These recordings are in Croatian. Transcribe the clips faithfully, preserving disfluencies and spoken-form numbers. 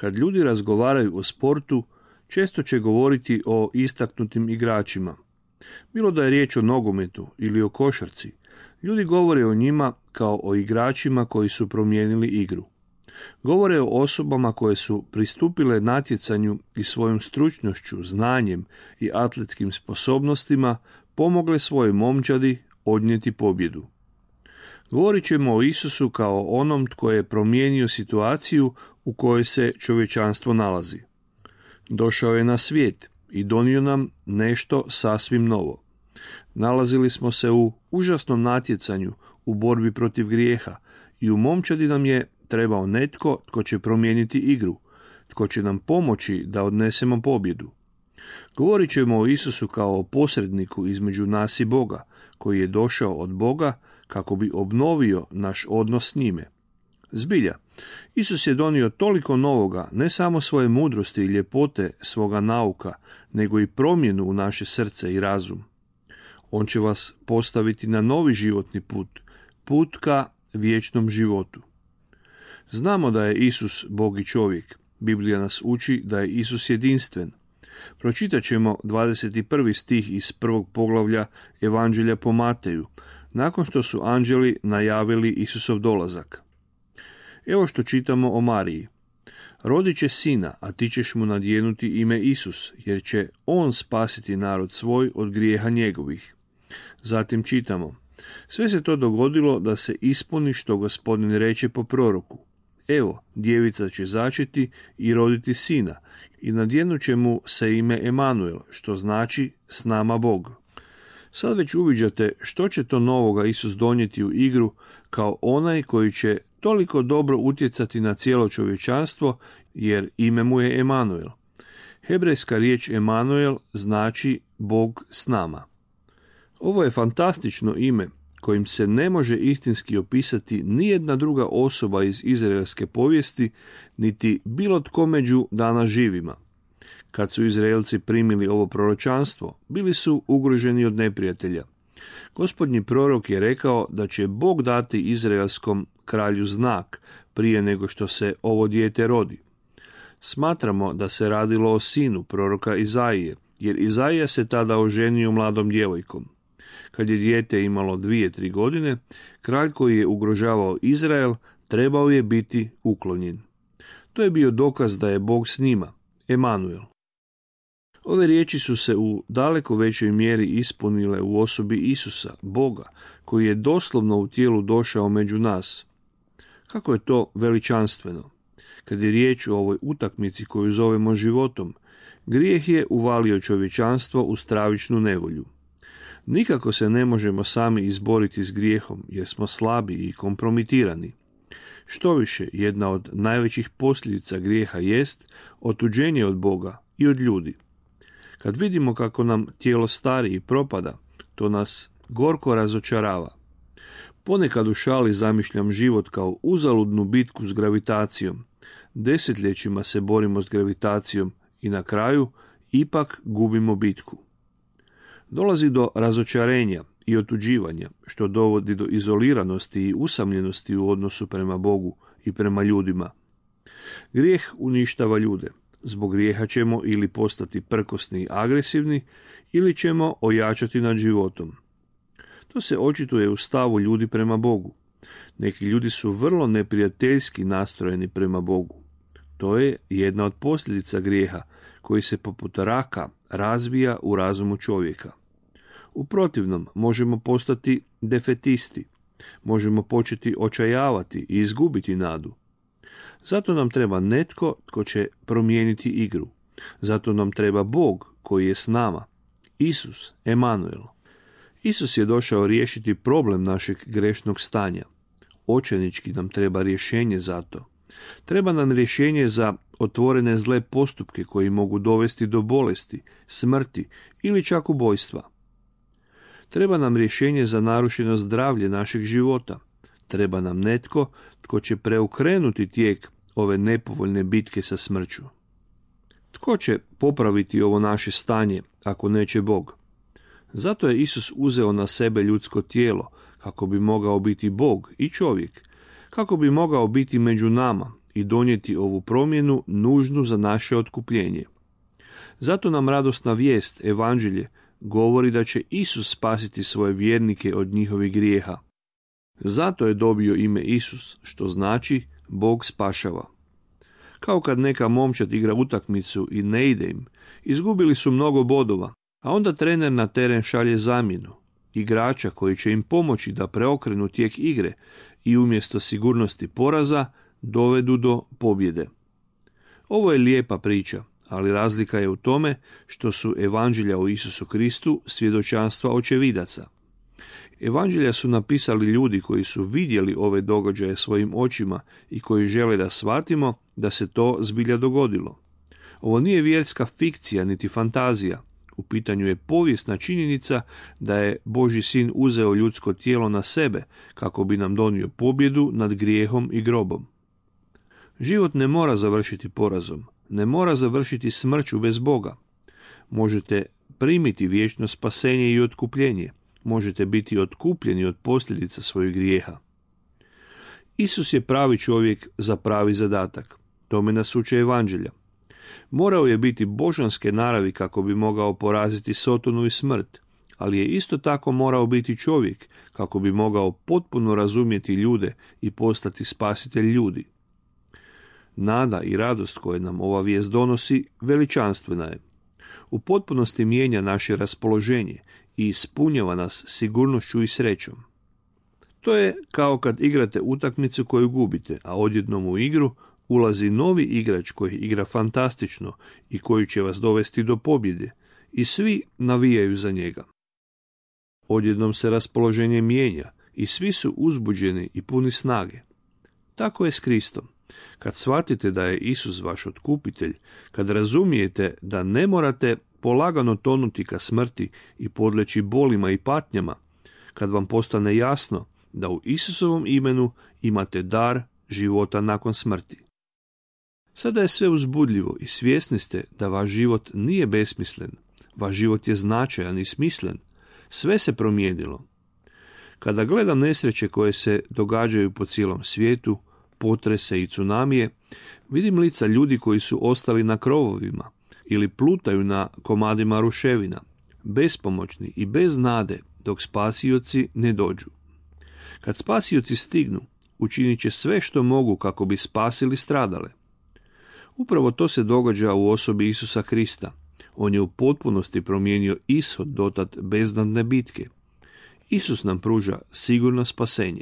Kad ljudi razgovaraju o sportu, često će govoriti o istaknutim igračima. Bilo da je riječ o nogometu ili o košarci, ljudi govore o njima kao o igračima koji su promijenili igru. Govore o osobama koje su pristupile natjecanju i svojom stručnošću, znanjem i atletskim sposobnostima pomogle svojoj momčadi odnijeti pobjedu. Govorit ćemo o Isusu kao onom tko je promijenio situaciju u kojoj se čovječanstvo nalazi. Došao je na svijet i donio nam nešto sasvim novo. Nalazili smo se u užasnom natjecanju u borbi protiv grijeha i u momčadi nam je trebao netko tko će promijeniti igru, tko će nam pomoći da odnesemo pobjedu. Govorit ćemo o Isusu kao o posredniku između nas i Boga, koji je došao od Boga kako bi obnovio naš odnos s njime. Zbilja, Isus je donio toliko novoga, ne samo svoje mudrosti i ljepote svoga nauka, nego i promjenu u naše srce i razum. On će vas postaviti na novi životni put, put ka vječnom životu. Znamo da je Isus Bog i čovjek. Biblija nas uči da je Isus jedinstven. Pročitat ćemo dvadeset prvi stih iz prvog poglavlja Evanđelja po Mateju, nakon što su anđeli najavili Isusov dolazak. Evo što čitamo o Mariji. Rodit će sina, a ti ćeš mu nadjenuti ime Isus, jer će on spasiti narod svoj od grijeha njegovih. Zatim čitamo. Sve se to dogodilo da se ispuni što Gospodin reče po proroku. Evo, djevica će začeti i roditi sina, i nadjenut će mu se ime Emanuel, što znači s nama Bog. Sad već uviđate što će to novoga Isus donijeti u igru kao onaj koji će toliko dobro utjecati na cijelo čovječanstvo, jer ime mu je Emanuel. Hebrejska riječ Emanuel znači Bog s nama. Ovo je fantastično ime kojim se ne može istinski opisati nijedna druga osoba iz izraelske povijesti, niti bilo tko među danas živima. Kad su Izraelci primili ovo proročanstvo, bili su ugroženi od neprijatelja. Gospodnji prorok je rekao da će Bog dati izraelskom kralju znak prije nego što se ovo dijete rodi. Smatramo da se radilo o sinu proroka Izaije, jer Izaija se tada oženio mladom djevojkom. Kad je dijete imalo dvije, tri godine, kralj koji je ugrožavao Izrael trebao je biti uklonjen. To je bio dokaz da je Bog s njima, Emanuel. Ove riječi su se u daleko većoj mjeri ispunile u osobi Isusa, Boga, koji je doslovno u tijelu došao među nas. Kako je to veličanstveno! Kad je riječ o ovoj utakmici koju zovemo životom, grijeh je uvalio čovječanstvo u stravičnu nevolju. Nikako se ne možemo sami izboriti s grijehom, jer smo slabi i kompromitirani. Štoviše, jedna od najvećih posljedica grijeha jest otuđenje od Boga i od ljudi. Kad vidimo kako nam tijelo stari i propada, to nas gorko razočarava. Ponekad u šali zamišljam život kao uzaludnu bitku s gravitacijom. Desetljećima se borimo s gravitacijom i na kraju ipak gubimo bitku. Dolazi do razočarenja i otuđivanja, što dovodi do izoliranosti i usamljenosti u odnosu prema Bogu i prema ljudima. Grijeh uništava ljude. Zbog grijeha ćemo ili postati prkosni i agresivni, ili ćemo ojačati nad životom. To se očituje u stavu ljudi prema Bogu. Neki ljudi su vrlo neprijateljski nastrojeni prema Bogu. To je jedna od posljedica grijeha, koji se poput raka razvija u razumu čovjeka. U protivnom možemo postati defetisti, možemo početi očajavati i izgubiti nadu. Zato nam treba netko tko će promijeniti igru. Zato nam treba Bog koji je s nama, Isus, Emanuel. Isus je došao riješiti problem našeg grešnog stanja. Očajnički nam treba rješenje za to. Treba nam rješenje za otvorene zle postupke koji mogu dovesti do bolesti, smrti ili čak ubojstva. Treba nam rješenje za narušeno zdravlje našeg života. Treba nam netko tko će preokrenuti tijek ove nepovoljne bitke sa smrću. Tko će popraviti ovo naše stanje ako neće Bog? Zato je Isus uzeo na sebe ljudsko tijelo kako bi mogao biti Bog i čovjek, kako bi mogao biti među nama i donijeti ovu promjenu nužnu za naše otkupljenje. Zato nam radosna vijest, evanđelje, govori da će Isus spasiti svoje vjernike od njihovih grijeha. Zato je dobio ime Isus, što znači Bog spašava. Kao kad neka momčad igra utakmicu i ne ide im, izgubili su mnogo bodova, a onda trener na teren šalje zamjenu, igrača koji će im pomoći da preokrenu tijek igre i umjesto sigurnosti poraza dovedu do pobjede. Ovo je lijepa priča, ali razlika je u tome što su evanđelja o Isusu Kristu svjedočanstva očevidaca. Evanđelja su napisali ljudi koji su vidjeli ove događaje svojim očima i koji žele da shvatimo da se to zbilja dogodilo. Ovo nije vjerska fikcija niti fantazija. U pitanju je povijesna činjenica da je Božji sin uzeo ljudsko tijelo na sebe kako bi nam donio pobjedu nad grijehom i grobom. Život ne mora završiti porazom, ne mora završiti smrću bez Boga. Možete primiti vječno spasenje i otkupljenje. Možete biti otkupljeni od posljedica svojih grijeha. Isus je pravi čovjek za pravi zadatak. Tome nas uče evanđelja. Morao je biti božanske naravi kako bi mogao poraziti Sotonu i smrt, ali je isto tako morao biti čovjek kako bi mogao potpuno razumjeti ljude i postati spasitelj ljudi. Nada i radost koje nam ova vijest donosi veličanstvena je. U potpunosti mijenja naše raspoloženje i ispunjava nas sigurnošću i srećom. To je kao kad igrate utakmicu koju gubite, a odjednom u igru ulazi novi igrač koji igra fantastično i koji će vas dovesti do pobjede i svi navijaju za njega. Odjednom se raspoloženje mijenja i svi su uzbuđeni i puni snage. Tako je s Kristom. Kad shvatite da je Isus vaš otkupitelj, kad razumijete da ne morate polagano tonuti ka smrti i podleći bolima i patnjama, kad vam postane jasno da u Isusovom imenu imate dar života nakon smrti. Sada je sve uzbudljivo i svjesni ste da vaš život nije besmislen, vaš život je značajan i smislen, sve se promijenilo. Kada gledam nesreće koje se događaju po cijelom svijetu, potrese i tsunamije, vidim lica ljudi koji su ostali na krovovima ili plutaju na komadima ruševina, bespomoćni i bez nade dok spasioci ne dođu. Kad spasioci stignu, učinit će sve što mogu kako bi spasili stradale. Upravo to se događa u osobi Isusa Krista. On je u potpunosti promijenio ishod dotad beznadne bitke. Isus nam pruža sigurno spasenje.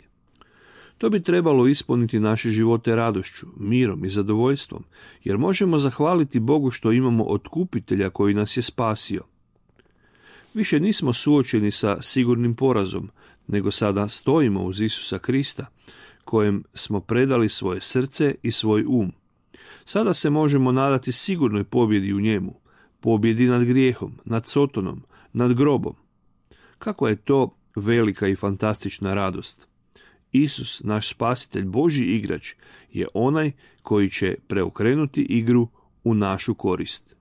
To bi trebalo ispuniti naše živote radošću, mirom i zadovoljstvom, jer možemo zahvaliti Bogu što imamo otkupitelja koji nas je spasio. Više nismo suočeni sa sigurnim porazom, nego sada stojimo uz Isusa Krista, kojem smo predali svoje srce i svoj um. Sada se možemo nadati sigurnoj pobjedi u njemu, pobjedi nad grijehom, nad Sotonom, nad grobom. Kakva je to velika i fantastična radost! Isus, naš spasitelj, Božji igrač, je onaj koji će preokrenuti igru u našu korist.